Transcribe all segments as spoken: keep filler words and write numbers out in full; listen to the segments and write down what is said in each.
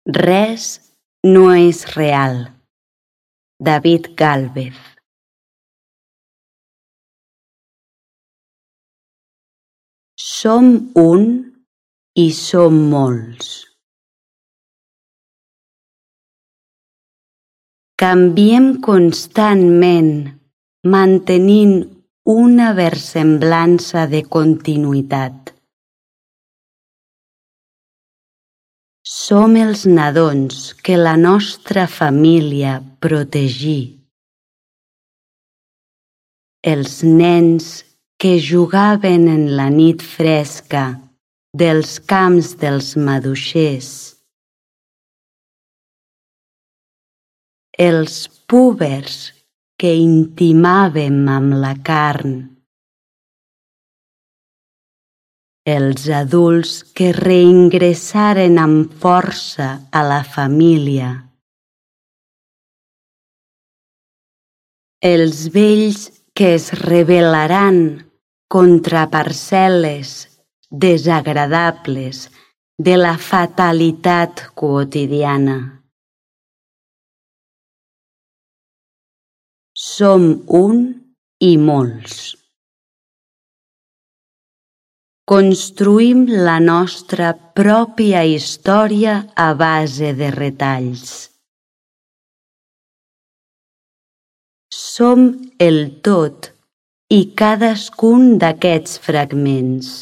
Res no és real. David Gálvez. Som un i som molts. Canviem constantment, mantenint una versemblança de continuïtat. Som els nadons que la nostra família protegí. Els nens que jugaven en la nit fresca dels camps dels maduixers. Els púbers que intimàvem amb la carn. Els adults que reingressaren amb força a la família. Els vells que es rebel·laran contra parcel·les desagradables de la fatalitat quotidiana. Som un i molts. Construïm la nostra pròpia història a base de retalls. Som el tot i cadascun d'aquests fragments.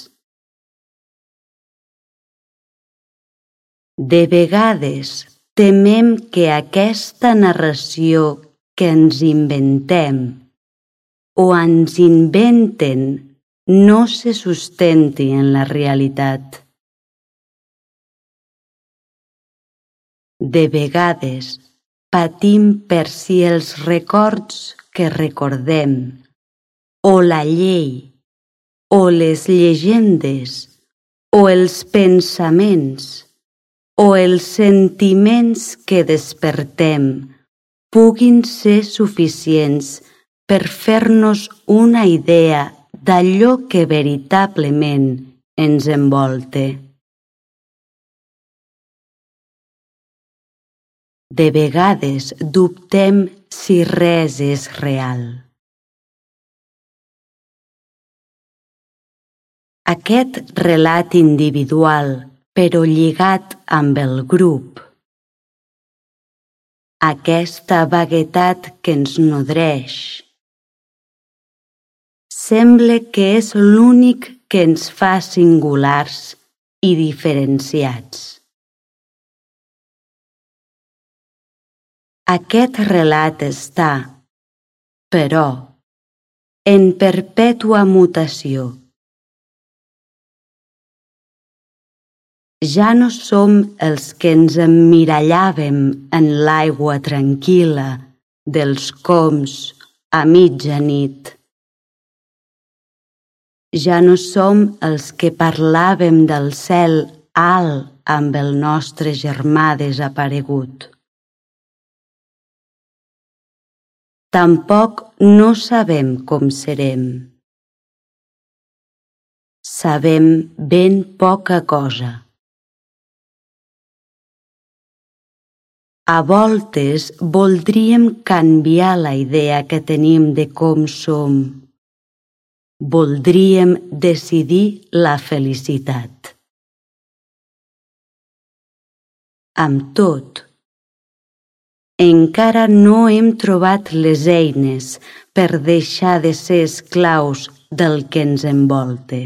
De vegades temem que aquesta narració que ens inventem o ens inventen no se sustenti en la realitat. De vegades patim per si els records que recordem, o la llei, o les llegendes, o els pensaments, o els sentiments que despertem puguin ser suficients per fer-nos una idea d'allò que veritablement ens envolta. De vegades dubtem si res és real. Aquest relat individual, però lligat amb el grup, aquesta vaguetat que ens nodreix, sembla que és l'únic que ens fa singulars i diferenciats. Aquest relat està, però, en perpètua mutació. Ja no som els que ens emmirallàvem en l'aigua tranquil·la dels coms a mitjanit. Ja no som els que parlàvem del cel alt amb el nostre germà desaparegut. Tampoc no sabem com serem. Sabem ben poca cosa. A voltes voldríem canviar la idea que tenim de com som. Voldríem decidir la felicitat. Amb tot, encara no hem trobat les eines per deixar de ser esclaus del que ens envolta.